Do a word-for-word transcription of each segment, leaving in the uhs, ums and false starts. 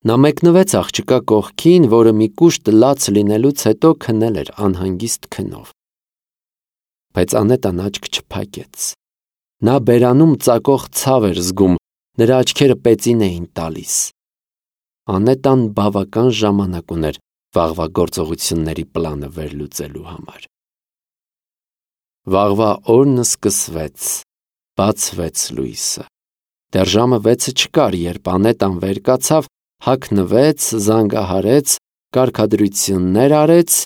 Նա մեկնվեց աղջկա կողքին, որը մի կուշտ լաց լինելուց հետո քնել էր անհանգիստ քնով։ Բայց Անետան աչք չփակեց։ Նա բերանում ծակող ցավ էր զգում, նրա աչքերը պեծին էին տալիս։ Անետան բավական ժամանակ ուներ վաղվա գործողությունների պլանը վերլուծելու համար։ Վաղվա օրն սկսվեց, բացվեց լույսը։ Դեռ ժամը վեցը չկար, երբ Անետան վեր կացավ, հագնվեց, զանգահարեց, կարգադրություններ արեց,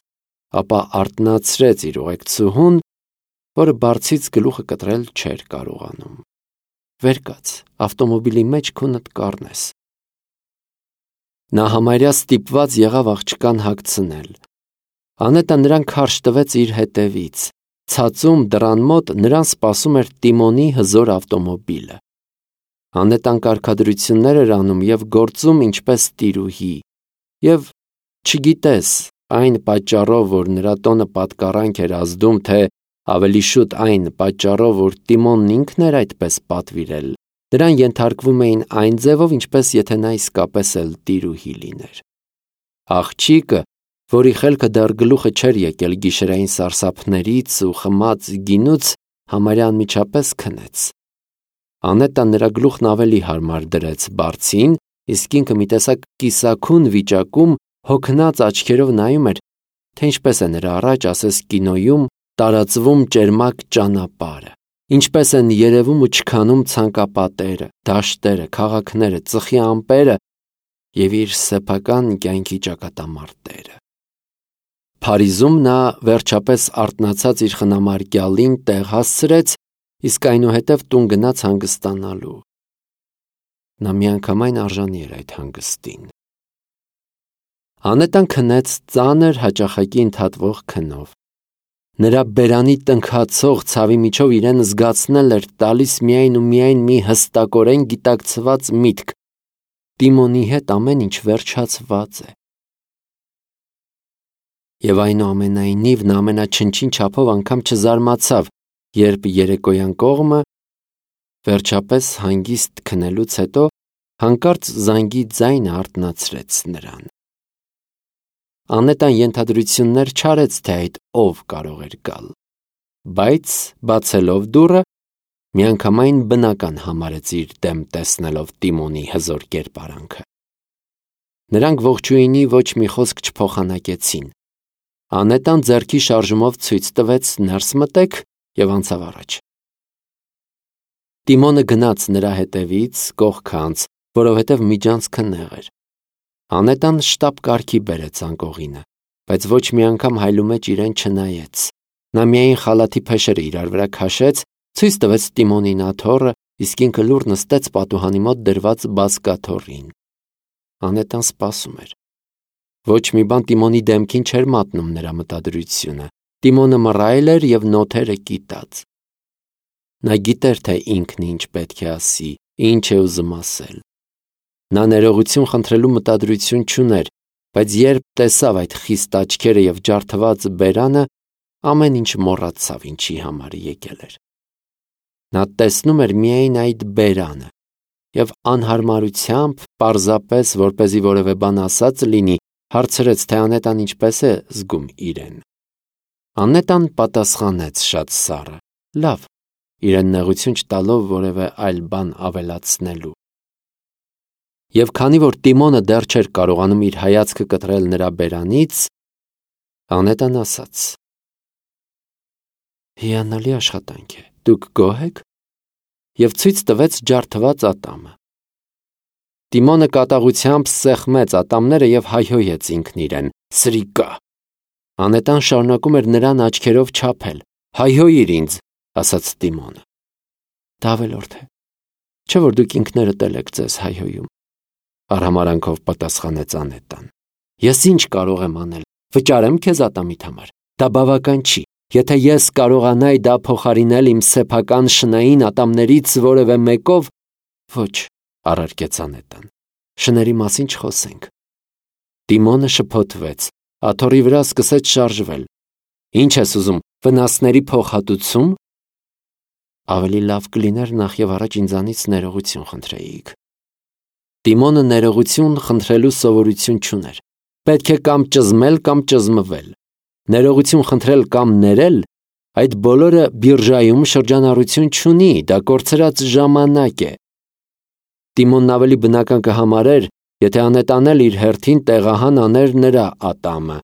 ապա արթնացրեց իր ուղեկցուհուն, որը բարձից գլուխը կտրել չէր կարողանում։ Վեր կաց, ավտոմոբիլի մեջ քունդ կառնես։ Նա համարյա ստիպված եղավ աղջկան հագցնել։ Անետան նրան քարշ տվեց իր հետևից։ Ցածում դռան մոտ նրան սպասում էր Տիմոնի հզոր ավտոմոբիլը։ Անետան կարգադրություններ էր անում և գործում ինչպես տիրուհի։ Եվ չգիտես, այն պատճառով, որ նրա տոնը պատկառանք էր ազդում, թե ավելի շուտ այն պատճառով, որ Տիմոնն ինքն էր այդպես պատվիրել, նրան ենթարկվում էին այն ձևով, ինչպես եթե նա իսկապես էլ տիրուհի լիներ։ Աղջիկը, որի խելքը դեռ գլուխը չէր եկել գիշերային սարսափներից ու խմած գինուց, համարյա անմիջապես քնեց։ Անետան նրա գլուխն ավելի հարմար դրեց բարձին, իսկ ինքը մի տեսակ կիսաքուն վիճակում հոգնած աչքերով նայում էր, թե ինչպես է նրա առաջ, ասես կինոյում, տարածվում ճերմակ ճանապարհը, ինչպես են երևում ու չքանում ցանկապատերը, դաշտերը, քաղաքները, ծխի ամպերը և իր սեփական կյանքի ճակատամարտերը։ Փարիզում նա վերջապես արթնացած իր խնամարկյալին տեղ հասցրեց, իսկ այնուհետև տուն գնաց հանգստանալու։ Նա միանգամայն արժանի էր այդ հանգստին։ Անետան քնեց ծանր հաճախակի ընդհատվող քնով։ Նրա բերանի տնքացող ցավի միջով իրեն զգացնել էր տալիս միայն ու միայն մի հստակորեն գիտակցված միտք. Տիմոնի հետ ամեն ինչ վերջացված է։ Եվ այնուամենայնիվ նա ամենաչնչին չափով անգամ չզարմացավ, երբ երեկոյան կողմը, վերջապես հանգիստ քնելուց հետո, հանկարծ զանգի ձայնը արթնացրեց նրան։ Անետան ենթադրություններ չարեց, թե այդ ով կարող էր գալ, բայց բացելով դուռը, միանգամայն բնական համարեց իր դեմ տեսնելով Տիմոնի հզոր կերպարանքը։ Նրանք ողջույնի ոչ մի խոսք չփոխանակեցին։ Անետան ձեռքի շարժումով ցույց տվեց ներս մտեք և անցավ առաջ։ Տիմոնը գնաց նրա հետևից, կողքը անց, որովհետև միջանցքը նեղ էր։ Անետան շտապ կարգի բերեց անկողինը, բայց ոչ մի անգամ հայլումեջ իրեն չնայեց։ Նա միայն խալաթի փեշերը իրար վրա քաշեց, ցույց տվեց Տիմոնին աթոռը, իսկ ինքը լուռ նստեց պատուհանի մոտ դրված բազկաթոռին։ Անետան սպասում էր։ Ոչ մի բան Տիմոնի դեմքին չէր մատնում նրա մտադրությունը։ Տիմոնը մռայլ էր և նոթերը կիտած։ Նա գիտեր, թե ինքն ինչ պետք է ասի, ինչ է ուզում ասել։ Նա ներողություն խնդրելու մտադրություն չուներ, բայց երբ տեսավ այդ խիստ աչքերը և ջարդված բերանը, ամեն ինչ մոռացավ, ինչի համար եկել էր։ Նա տեսնում էր միայն այդ բերանը և անհարմարությամբ, պարզապես, որպեսզի որևէ բան ասած լինի, հարցրեց, թե Անետան ինչպես է զգում իրեն։ Անետան պատասխանեց շատ սառը. լավ, իրեն նեղություն չտալով որևէ այլ բան ավելացնելու։ Եվ քանի որ Տիմոնը դեռ չէր կարողանում իր հայացքը կտրել նրա բերանից, Անետան ասաց. հիանալի աշխատանք է, դուք գոհ եք, և ցույց տվեց ջարդված ատամը։ Տիմոնը կատաղությամբ սեղմեց ատամները և հայհոյեց ինքն իրեն. սրիկա։ Անետան շարունակում էր նրան աչքերով չափել. հայհոյիր ինձ, ասաց Տիմոնը։ Դա ավելորդ է, չէ՞ որ դուք ինքներդ էլ եք ձեզ հայհոյում, արհամարհանքով պատասխանեց Անետան։ Ես ինչ կարող եմ անել, վճարեմ քեզ ատամիդ համար, դա բավական չի, եթե ես կարողանայի դա փոխարինել իմ սեփական շնային ատամներից որևէ մեկով, ոչ, առարկեց Անետան, շների մասին չխոսենք։ Տիմոնը շփոթվեց, աթոռի վրա սկսեց շարժվել։ Ինչ ես ուզում, վնասների փոխհատուցում։ Ավելի լավ կլիներ նախ և առաջ ինձանից ներողություն խնդրեիք։ Տիմոնը ներողություն խնդրելու սովորություն չուներ։ Պետք է կամ ճզմել, կամ ճզմվել։ Ներողություն խնդրել կամ ներել, այդ բոլորը բիրժայում շրջանառություն չունի, դա կորցրած ժամանակ է։ Տիմոնն ավելի բնական կհամարեր, եթե անետանել իր հերթին տեղահան աներ նրա ատամը։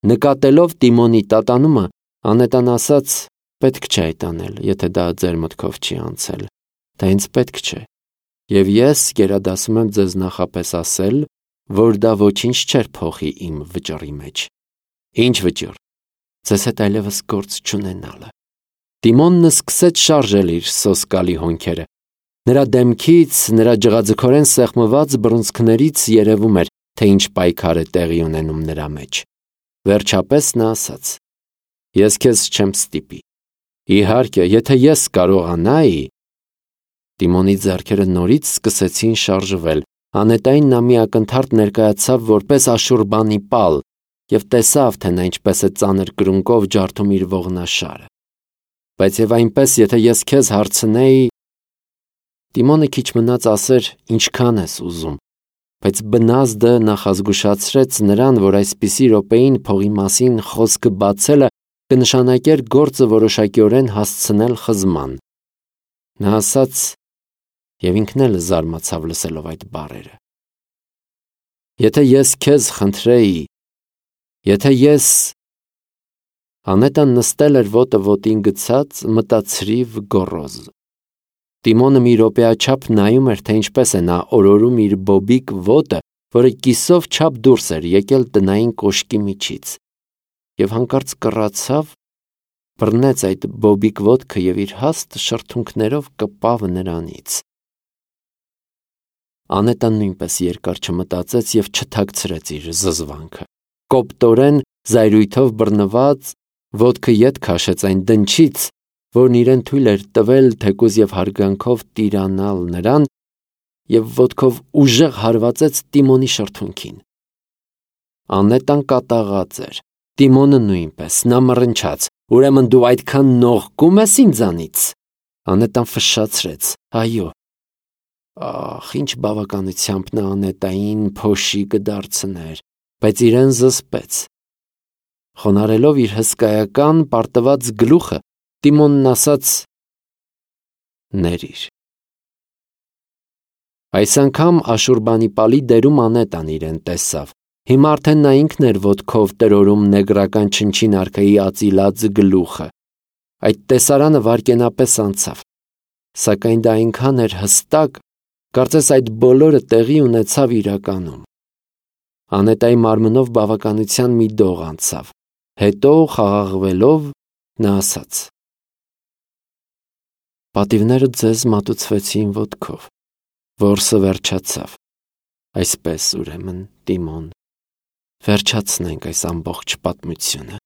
Նկատելով Տիմոնի տատանումը, անետան ասաց. «Պետք չէ այդ անել, եթե դա ձեր մտքով չի անցել, դա ինձ պետք չէ։ Եվ ես գերադասում եմ ձեզ նախապես ասել, որ դա ոչինչ չէր փոխի իմ վճռի մեջ»։ Ինչ վճիռ։ Ձեզ հետ այլևս գործ չունենալը։ Տիմոնն սկսեց շարժել իր սոսկալի հոնքերը։ Նրա դեմքից, նրա ջղաձգորեն սեղմված բռունցքներից երևում էր, թե ինչ պայքար է տեղի ունենում նրա մեջ։ Վերջապես նա ասաց. «Ես քեզ չեմ ստիպի։ Իհարկե, եթե ես կարողանայի…» Տիմոնի ձեռքերը նորից սկսեցին շարժվել։ Անետային նա մի ակնթարթ ներկայացավ որպես աշուրբանի պալ և տեսավ, թե նա ինչպես է ծանր կրունկով ջարդում իր ողնաշարը։ «Բայց և այնպես, եթե ես քեզ հարցնեի…» Տիմոնը քիչ մնաց ասեր. «Ինչքան ես ուզում», բայց բնազդը նախազգուշացրեց նրան, որ այսպիսի րոպեին փողի մասին խոսքը բացելը կնշանակեր գործը որոշակիորեն հասցնել խզման։ Նա ասաց, և ինքն էլ զարմացավ լսելով այդ բառերը. «Եթե ես քեզ խնդրեի, եթե ես…» Անետան նստել էր ոտը ոտին գցած, մտացրիվ գոռոզ։ Տիմոնը մի րոպեաչափ նայում էր, թե ինչպես է նա օրորում իր բոբիկ ոտը, որը կիսով չափ դուրս էր եկել տնային կոշկի միջից, և հանկարծ կռացավ, բռնեց այդ բոբիկ ոտքը և իր հաստ շրթունքներով կպավ նրանից։ Անետան նույնպես երկար չմտածեց և չթաքցրեց իր զզվանքը։ Կոպտորեն զայրույթով բռնված, ոտքը ետ քաշեց այն դնչից, որն իրեն թույլ էր տվել թեկուզ և հարգանքով տիրանալ նրան, և ոտքով ուժեղ հարվածեց Տիմոնի շրթունքին։ Անետան կատաղած էր, Տիմոնը նույնպես, նա մռնչաց. «Ուրեմն դու այդքան նողկում ես ինձանից»։ Անետան ֆշշացրեց. «Այո»։ Ախ, ինչ բավականությամբ նա Անետային փոշի կդարձներ, բայց իրեն զսպեց։ Խոնարհելով իր հսկայական պարտված գլուխը, Տիմոնն ասաց. «Ներիր»։ Այս անգամ աշուրբանի պալի դերում Անետան իրեն տեսավ։ Հիմա արդեն նա ինքն էր ոտքով տրորում նեգրական չնչին արքայի ածիլած գլուխը։ Այդ տեսարանը վայրկենապես անցավ։ Սակայն դա այնքան էր հստակ, կարծես այդ բոլորը տեղի ունեցավ իրականում։ Անետայի մարմնով բավականության մի դող անցավ։ Հետո, խաղաղվելով, նա ասաց. «Պատիվները ձեզ մատուցվեցին ոտքով, որսը վերջացավ։ Այսպես, ուրեմն, Տիմոն, վերջացնենք այս ամբողջ պատմությունը»։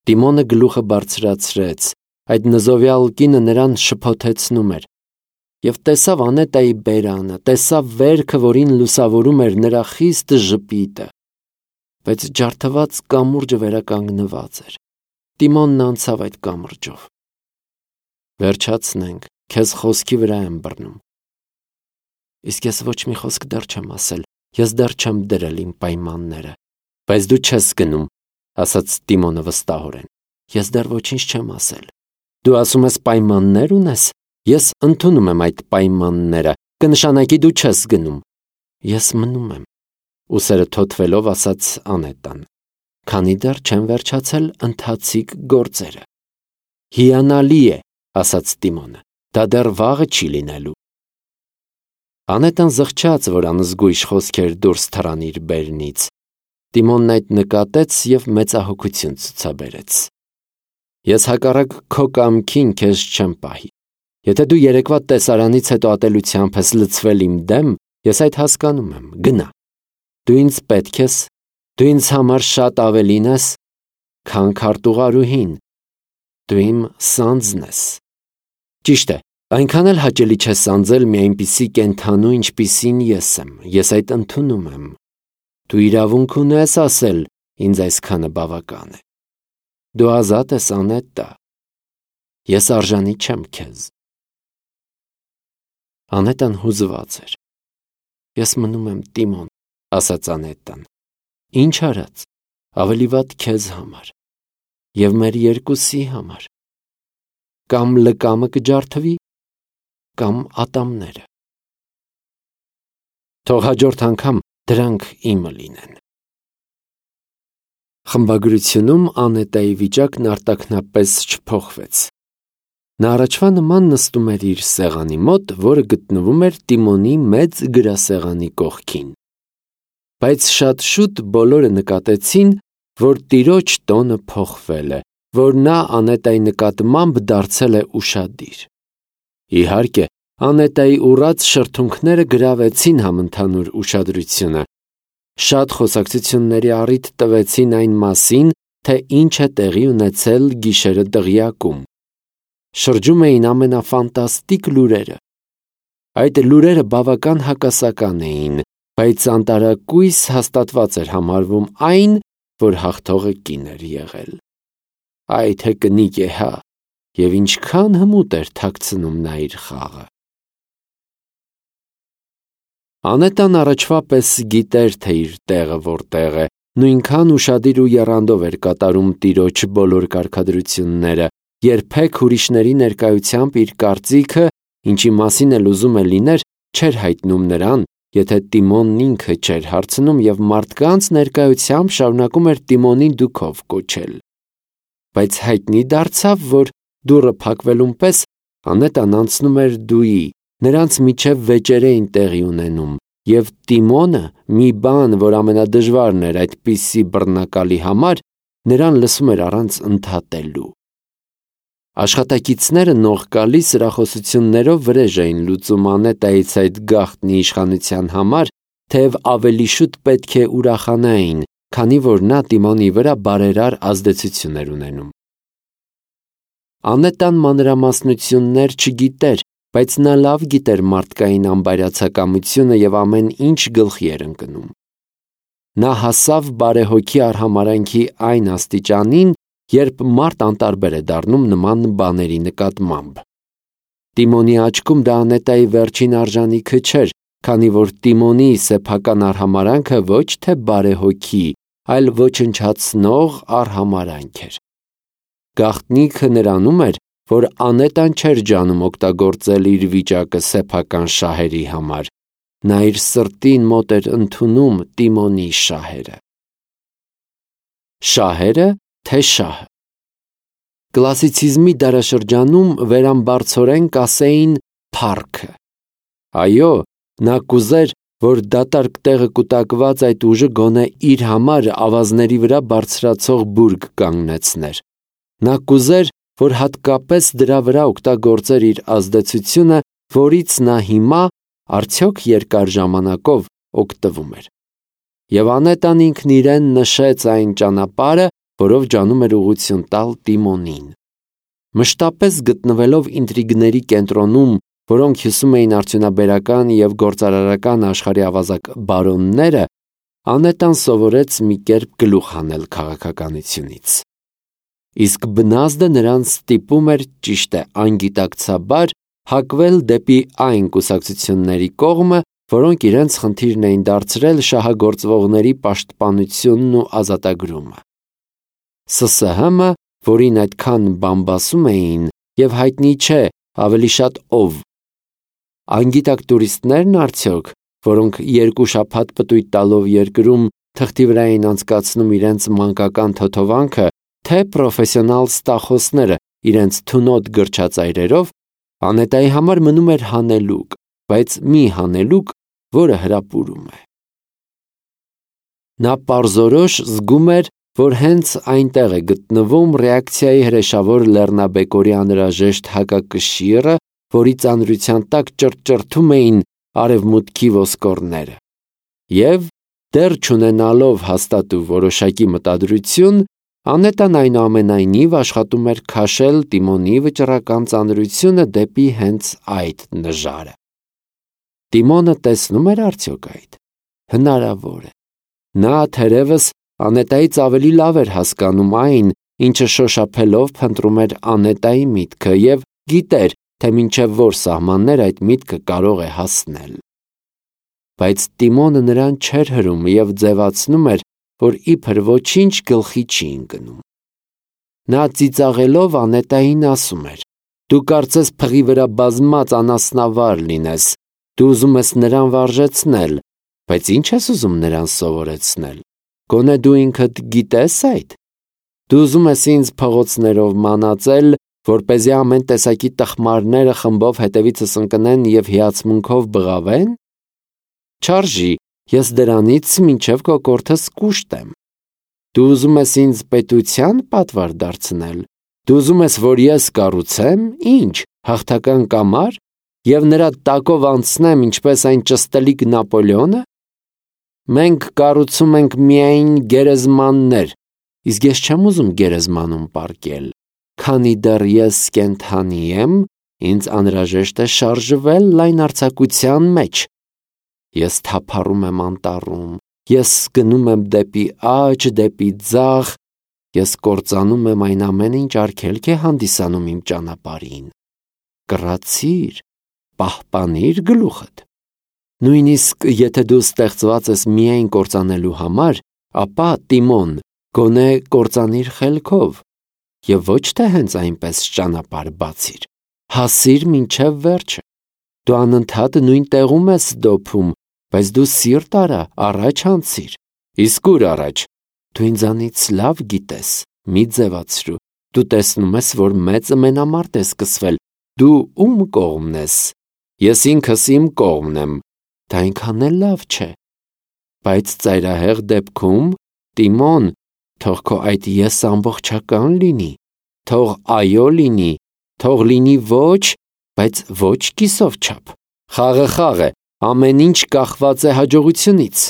Տիմոնը գլուխը բարձրացրեց, այդ նզովյալ կինը նրան շփոթեցնում էր, և տեսավ Անետայի բերանը, տեսավ վերքը, որին լուսավորում էր նրա խիստ ժպիտը, բայց ջարդված կամուրջը վերականգնված էր։ Տիմոնն անցավ այդ կամրջով։ «Վերջացնենք, քեզ խոսքի վրա եմ բռնում»։ «Իսկ ես ոչ մի խոսք դեռ չեմ ասել, ես դեռ չեմ դրել իմ պայմանները»։ «Բայց դու չես գնում», ասաց Տիմոնը վստահորեն։ «Ես դեռ ոչինչ չեմ ասել»։ «Դու ասում ես պայմաններ ունես, ես ընդունում եմ այդ պայմանները, կնշանակի դու չես գնում»։ «Ես մնում եմ», ուսերը թոթվելով ասաց Անետան, «քանի դեռ չեմ վերջացել ընթացիկ գործերը»։ «Հիանալի է», ասաց Տիմոնը, «դա դեռ վաղը չի լինելու»։ Անետան զղջաց, որ անզգույշ խոսքեր դուրս թռան իր բերնից։ Տիմոնն այդ նկատեց և մեծահոգություն ցուցաբերեց։ «Ես հակառակ քո կամքին քեզ չեմ պահի։ Եթե դու երեկվա տեսարանից հետո ատելությամբ ես լցվել իմ դեմ, ես այդ հասկանում եմ, գնա։ Դու ինձ պետք ես, դու ինձ համար շատ ավելին ես, քան քարտուղարուհին, դու իմ սանձն ես։ Ճիշտ է, այնքան էլ հաճելի չէ սանձել մի այնպիսի կենդանու, ինչպիսին ես եմ, ես այդ ընդունում եմ։ Դու իրավունք ունես ասել, ինձ այսքանը բավական է։ Դու ազատ ես, Անետա։ Ես արժանի չեմ քեզ»։ Անետան հուզված էր։ Ես մնում եմ Տիմոն, ասաց Անետան։ Ինչ արած, ավելի վատ քեզ համար և մեր երկուսի համար։ Կամ լկամը կջարդվի, կամ ատամները։ Թող հաջորդ անգամ դրանք իմը լինեն։ Խմբագրությունում Անետայի վիճակն արտաքնապես չփոխվեց։ Նա առաջվա նման նստում էր իր սեղանի մոտ, որը գտնվում էր Տիմոնի մեծ գրասեղանի կողքին։ Բայց շատ շուտ բոլորը նկատեցին, որ տիրոջ տոնը փոխվել է, որ նա Անետայի նկատմամբ դարձել է ուշադիր։ Իհարկե, Անետայի ուռած շրթունքները գրավեցին համընդհանուր ուշադրությունը։ Շատ խոսակցությունների առիթ տվեցին այն մասին, թե ինչ է տեղի ունեցել գիշերը դղյակում։ Շրջում էին ամենաֆանտաստիկ լուրերը։ Այդ լուրերը բավական հակասական էին, բայց անտարակույս հաստատված էր համարվում այն, որ հաղթողը կին էր եղել։ Այ թե կնիկ է հա, և ինչքան հմուտ էր թաքցնում նա իր խաղը։ Անետան առաջվա պես գիտեր, թե իր տեղը որտեղ է, նույնքան ուշադիր ու եռանդով էր կատարում տիրոջ բոլոր կարգադրությունները, երբեք ուրիշների ներկայությամբ իր կարծիքը, ինչի մասին էլ ուզում է լիներ, չէր հայտնում նրան, եթե Տիմոնն ինքը չէր հարցնում և մարդկանց ներկայությամբ շարունակում էր Տիմոնին դուքով կոչել։ Բայց հայտնի դարձավ, որ դուռը փակվելուն պես Անետան անցնում էր դուի, նրանց միջև վեճեր էին տեղի ունենում, և Տիմոնը, մի բան, որ ամենադժվարն էր այդպիսի բռնակալի համար, նրան լսում էր առանց ընդհատելու։ Աշխատակիցները նողկալի սրախոսություններով վրեժ էին լուծում Անետայից այդ գաղտնի իշխանության համար, թեև ավելի շուտ պետք է ուրախանային, քանի որ նա Տիմոնի վրա բարերար ազդեցություն էր ունենում։ Անետան մանրամասնություններ չգիտեր, բայց նա լավ գիտեր մարդկային անբայրացակամությունը և ամեն ինչ գլխի էր ընկնում։ Նա հասավ բարեհոգի արհամարհանքի այն աստիճանին, երբ մարդ անտարբեր է դառնում նման բաների նկատմամբ։ Տիմոնի աչքում դա Անետայի վերջին արժանիքը չէր, քանի որ Տիմոնի սեփական արհամարհանքը ոչ թե բարեհոգի, այլ ոչնչացնող արհամարհանք էր։ Գաղտնիքը նրանում էր, որ Անետան չէր ջանում օգտագործել իր վիճակը սեփական շահերի համար։ Նա իր սրտին մոտ էր ընդունում Տիմոնի շահերը։ Շահերը, թե շահը։ Կլասիցիզմի դարաշրջանում վերամբարձորեն կասեին փառքը։ Այո, նա կուզեր, որ դատարկ տեղը կուտակված այդ ուժը գոնե իր համար ավազների վրա բարձրացող բուրգ կանգնեցներ։ Նա կուզեր, որ հատկապես դրա վրա օգտագործեր իր ազդեցությունը, որից նա հիմա արդյոք երկար ժամանակով օգտվում էր։ Եվ Անետան ինքն իրեն նշեց այն ճանապարհը, որով ջանում էր ուղղություն տալ Տիմոնին։ Մշտապես գտնվելով ինտրիգների կենտրոնում, որոնք հյուսում էին արդյունաբերական և գործարարական աշխարհի ավազակ բարոնները, Անետան սովորեց մի կերպ գլուխ հանել քաղաքականությունից։ Իսկ բնազդը նրան ստիպում էր, ճիշտ է, անգիտակցաբար, հակվել դեպի այն կուսակցությունների կողմը, որոնք իրենց խնդիրն էին դարձրել շահագործվողների պաշտպանությունն ու ազատագրումը։ Ս Ս Հ M-ը, որին այդքան բամբասում էին, և հայտնի չէ ավելի շատ ով։ Անգիտակ տուրիստներն արդյոք, որոնք երկու շաբաթ պտույտ տալով երկրում թղթի վրա էին անցկացնում իրենց մանկական թոթովանքը, թե պրոֆեսիոնալ ստախոսները իրենց թունոտ գրչածայրերով, Անետայի համար մնում էր հանելուկ, բայց մի հանելուկ, որը հրապուրում է։ Նա պարզորոշ զգում էր, որ հենց այնտեղ է գտնվում ռեակցիայի հրեշավոր լեռնաբեկորի անհրաժեշտ հակակշիռը, որի ծանրության տակ ճռճռթում էին արևմուտքի ոսկորները։ Եվ, դեռ չունենալով հաստատ ու որոշակի մտադրություն, Անետան այնուամենայնիվ աշխատում էր քաշել Տիմոնի վճռական ծանրությունը դեպի հենց այդ նժարը։ Տիմոնը տեսնում էր արդյոք այդ։ Հնարավոր է։ Նա թերևս Անետայից ավելի լավ էր հասկանում այն, ինչը շոշափելով փնտրում էր Անետայի միտքը, և գիտեր, թե մինչև որ սահմաններ այդ միտքը կարող է հասնել։ Բայց Տիմոնը նրան չէր հրում և ձևացնում էր, որ իբր ոչինչ գլխի չի ընկնում։ Նա ծիծաղելով Անետային ասում էր. «Դու կարծես փղի վրա բազմած անասնավար լինես, դու ուզում ես նրան վարժեցնել, բայց ի՞նչ ես ուզում նրան սովորեցնել, գոնե դու ինքդ գիտես այդ։ Դու ուզում ես ինձ փողոցներով մանածել, որպեսզի ամեն տեսակի տխմարները խմբով հետևիցս ընկնեն և հիացմունքով բղավեն։ Չարժի, ես դրանից մինչև կոկորդս կուշտ եմ։ Դու ուզում ես ինձ պետության պատվար դարձնել, դու ուզում ես, որ ես կառուցեմ, ինչ, հաղթական կամար, և նրա տակով անցնեմ, ինչպես այն ճստելիք Նապոլեոնը։ Մենք կառուցում ենք միայն գերեզմաններ, իսկ ես չեմ ուզում գերեզմանում պառկել, քանի դեռ ես կենդանի եմ, ինձ անհրաժեշտ է շարժվել լայնարձակության մեջ։ Ես թափառում եմ անտառում, ես գնում եմ դեպի աջ, դեպի ձախ, ես կործանում եմ այն ամենը, ինչ արգելք է հանդիսանում իմ ճանապարհին։ Կռացիր, պահպանիր գլուխդ։ Նույնիսկ եթե դու ստեղծված ես միայն կործանելու համար, ապա Տիմոն, գոնե կործանիր խելքով, և ոչ թե հենց այնպես ճանապարհ բացիր, հասիր մինչև վերջը։ Դու անընդհատ նույն տեղում ես դոփում, բայց դու սիրտ արա, առաջ անցիր։ Իսկ ուր առաջ։ Դու ինձանից լավ գիտես, մի ձևացրու, դու տեսնում ես, որ մեծը մենամարտ է սկսվել, դու ում կողմն ես։ Ես ինքս իմ կողմն եմ, դա այնքան էլ լավ չէ։ Բայց ծայրահեղ դեպքում, Տիմոն, թող քո այդ ես ամբողջական լինի, թող այո լինի, թող լինի ոչ, բայց ոչ կիսով չափ։ Խաղը խաղ է, ամեն ինչ կախված է հաջողությունից։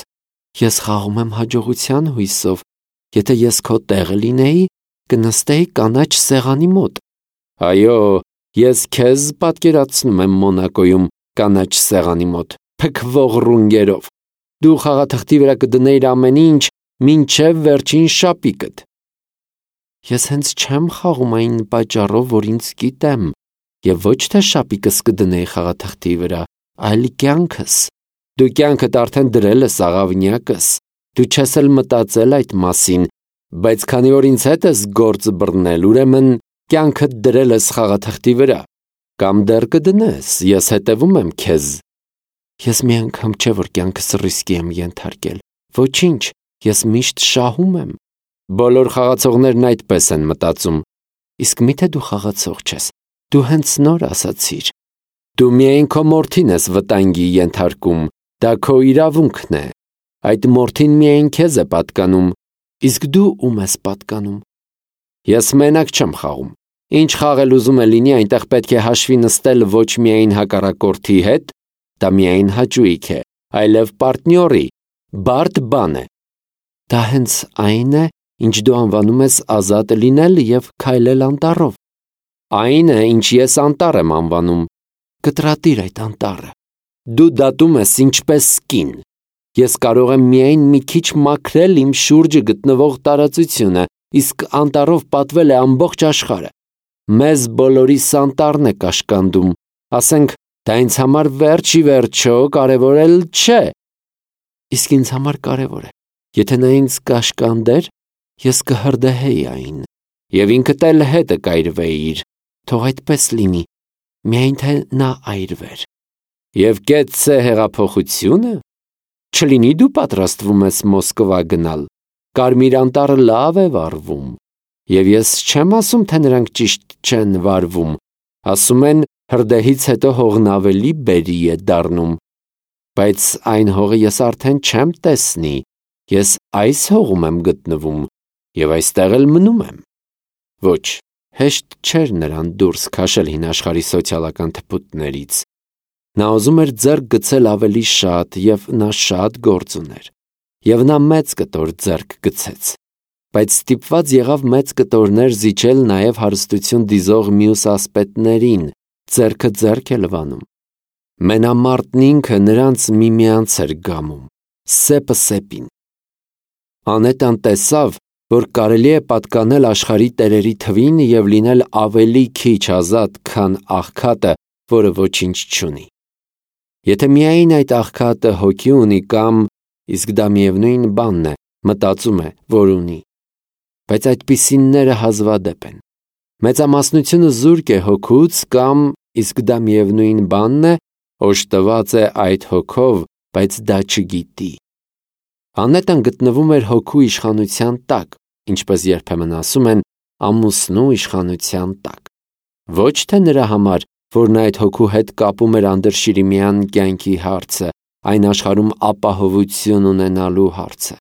Ես խաղում եմ հաջողության հույսով, եթե ես քո տեղը լինեի, կնստեի կանաչ սեղանի մոտ։ Այո, ես քեզ պատկերացնում եմ Մոնակոյում կանաչ սեղանի մոտ, փքվող ռունգերով։ Դու խաղաթղթի վրա կդնեիր ամեն ինչ, մինչև վերջին շապիկդ։ Ես հենց չեմ խաղում այն պատճառով, որ ինձ գիտեմ, և ոչ թե շապիկս կդնեի խաղաթղթի վրա, այլ կյանքս։ Դու կյանքդ արդեն դրել ես աղավնյակս, դու չես էլ մտածել այդ մասին, բայց քանի որ ինձ հետ ես գործ բռնել, ուրեմն կյանքդ դրել ես խաղաթղթի վրա, կամ դեռ կդնես, ես հետևում եմ քեզ։ Ես մի անգամ չէ, որ կյանքս ռիսկի եմ ենթարկել, ոչինչ, ես միշտ շահում եմ։ Բոլոր խաղացողներն այդպես են մտածում։ Իսկ միթե դու խաղացող չես, դու հենց նոր ասացիր։ Դու միայն քո մորթին ես վտանգի ենթարկում, դա քո իրավունքն է։ Այդ մորթին միայն քեզ է պատկանում, իսկ դու ում ես պատկանում։ Ես մենակ չեմ խաղում։ Ինչ խաղել ուզում է լինի, այնտեղ պետք է հաշվի նստել ոչ միայն հակառակորդի հետ, դա միայն հաճույք է, այլև պարտնյորի, բարդ բան է։ Դա հենց այն է, ինչ դու անվանում ես ազատ լինել և քայլել անտառով։ Այն է, ինչ ես անտառ եմ անվանում։ Կտրատիր այդ անտառը։ Դու դատում ես ինչպես կին։ Ես կարող եմ միայն մի քիչ մաքրել իմ շուրջը գտնվող տարածությունը, իսկ անտառով պատվել է ամբողջ աշխարհը։ Մեզ բոլորիս անտառն է կաշկանդում, ասենք, դա ինձ համար վերջ ի վերջո կարևոր էլ չէ։ Իսկ ինձ համար կարևոր է։ Եթե նա ինձ կաշկանդեր, ես կհրդեհեի այն, և ինքդ էլ հետը կայրվեիր, թող այդպես լինի, միայն թե նա այրվեր։ Եվ կեցցե հեղափոխությունը։ Չլինի դու պատրաստվում ես Մոսկվա գնալ, Կարմիր անտառը լավ է վարվում, և ես չեմ ասում, թե նրանք ճիշտ չեն վարվում, ասում են հրդեհից հետո հողն ավելի բերրի է դառնում, բայց այն հողը ես արդեն չեմ տեսնի, ես այս հողում եմ գտնվում և այստեղ էլ մնում եմ։ Ոչ, հեշտ չէր նրան դուրս քաշել հին աշխարհի սոցիալական թփուտներից։ Նա ուզում էր ձեռք գցել ավելի շատ, և նա շատ գործ ուներ, և նա մեծ կտոր ձեռք գցեց, բայց ստիպված եղավ մեծ կտորներ զիջել նաև հարստություն դիզող մյուս ասպետներին, ձեռքը ձեռք է լվանում։ Մենամարտն ինքը նրանց միմյանց էր գամում, սեպը սեպին։ Անետան տեսավ, որ կարելի է պատկանել աշխարհի տերերի թվին և լինել ավելի քիչ ազատ, քան աղքատը, որը ոչինչ չունի։ Եթե միայն այդ աղքատը հոգի ունի կամ, իսկ դա միևնույն բանն է, մտածում է, որ ունի, բայց այդպիսինները հազվադեպ են։ Մեծամասնությունը զուրկ է հոգուց կամ, իսկ դա միևնույն բանն է, օժտված է այդ հոգով, բայց դա չգիտի։ Անետան գտնվում էր հոգու իշխանության տակ, ինչպես երբեմն ասում են, ամուսնու իշխանության տակ։ Ոչ թե նրա համար, որ նա այդ հոգու հետ կապում էր անդրշիրիմյան կյանքի հարցը, այն աշխարհում ապահովություն ունենալու հարցը։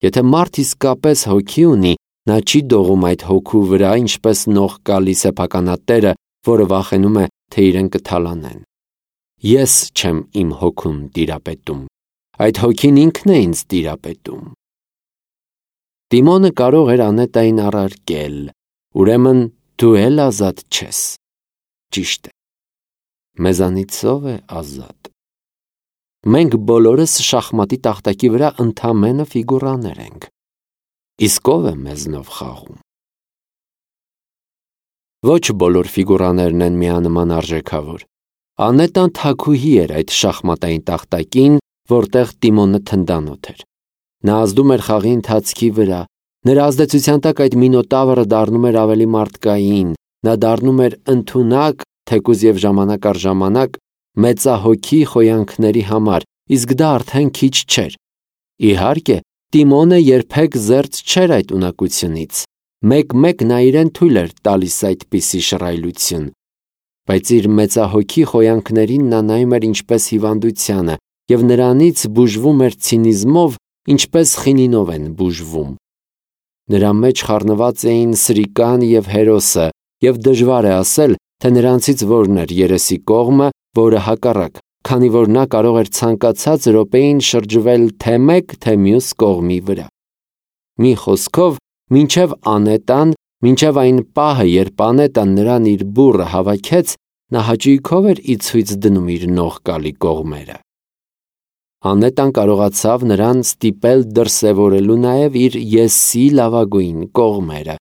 Եթե մարդ իսկապես հոգի ունի, նա չի դողում այդ հոգու վրա, ինչպես նողկալի սեփականատերը, որը վախենում է, թե իրեն կթալանեն։ Ես չեմ իմ հոգուն տիրապետում, այդ հոգին ինքն է ինձ տիրապետում։ Տիմոնը կարող էր Անետային առարկել, ուրեմն դու էլ ազատ չես։ Ճիշտ է։ Մեզանից ո՞վ է ազատ։ Մենք բոլորս շախմատի տախտակի վրա ընդամենը ֆիգուրաներ ենք։ Իսկ ո՞վ է մեզնով խաղում։ Ոչ բոլոր ֆիգուրաներն են միանման արժեքավոր։ Անետան թագուհի էր այդ շախմատային տախտակին, որտեղ Տիմոնը թնդանոթ էր։ Նա ազդում էր խաղի ընթացքի վրա։ Նրա ազդեցության տակ այդ մինոտավրը դառնում էր ավելի մարդկային, նա դառնում էր ընդունակ, թեկուզ և ժամանակ առ ժամանակ, մեծահոգի խոյանքների համար, իսկ դա արդեն քիչ չէր։ Իհարկե, Տիմոնը երբեք զերծ չէր այդ ունակությունից։ Մեկ-մեկ նա իրեն թույլ էր տալիս այդպիսի շռայլություն, բայց իր մեծահոգի խոյանքներին նա նայում էր ինչպես հիվանդությանը և նրանից բուժվում էր ցինիզմով, ինչպես խինինով են բուժվում։ Նրա մեջ խառնված էին սրիկան և հերոսը, և դժվար է ասել, թե նրանցից որն էր երեսի կողմը, որը հակառակ, քանի որ նա կարող էր ցանկացած րոպեին շրջվել թե մեկ, թե մյուս կողմի վրա։ Մի խոսքով, մինչև Անետան, մինչև այն պահը, երբ Անետան նրան իր բուռը հավաքեց, նա հաճույքով էր ի ցույց դնում իր նողկալի կողմերը։ Անետան կարողացավ նրան ստիպել դրսևորելու նաև իր եսի լավագույն կողմերը։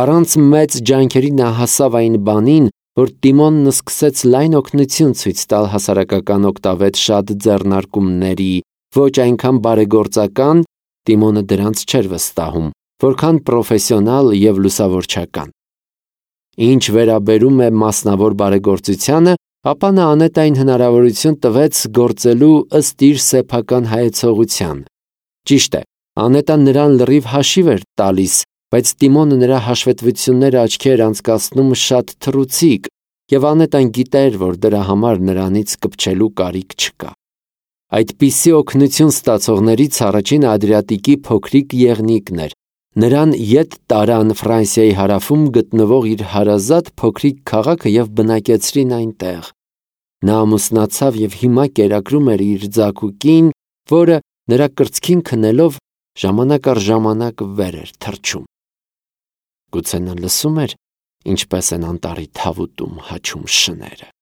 Առանց մեծ ջանքերի նա հասավ այն բանին, որ Տիմոնն սկսեց լայն օգնություն ցույց տալ հասարակական օգտավետ շատ ձեռնարկումների, ոչ այնքան բարեգործական, Տիմոնը դրանց չէր վստահում, որքան պրոֆեսիոնալ և լուսավորչական։ Ինչ վերաբերում է մասնավոր բարեգործությանը, ապա նա Անետային հնարավորություն տվեց գործելու ըստ իր սեփական հայեցողության։ Ճիշտ է, Անետան նրան լրիվ հաշիվ էր տալիս, բայց Տիմոնը նրա հաշվետվությունները աչքի էր անցկացնում շատ թռուցիկ, և Անետան գիտեր, որ դրա համար նրանից կպչելու կարիք չկա։ Այդպիսի օգնություն ստացողներից առաջինը Ադրիատիկի փոքրիկ եղնիկն էր։ Նրան ետ տարան Ֆրանսիայի հարավում գտնվող իր հարազատ փոքրիկ քաղաքը և բնակեցրին այնտեղ։ Նա ամուսնացավ և հիմա կերակրում էր իր ձագուկին, որը նրա կրծքին քնելով ժամանակ առ ժամանակ վեր էր թռչում։ Գուցե նա լսում էր, ինչպես են անտառի թավուտում հաչում շները։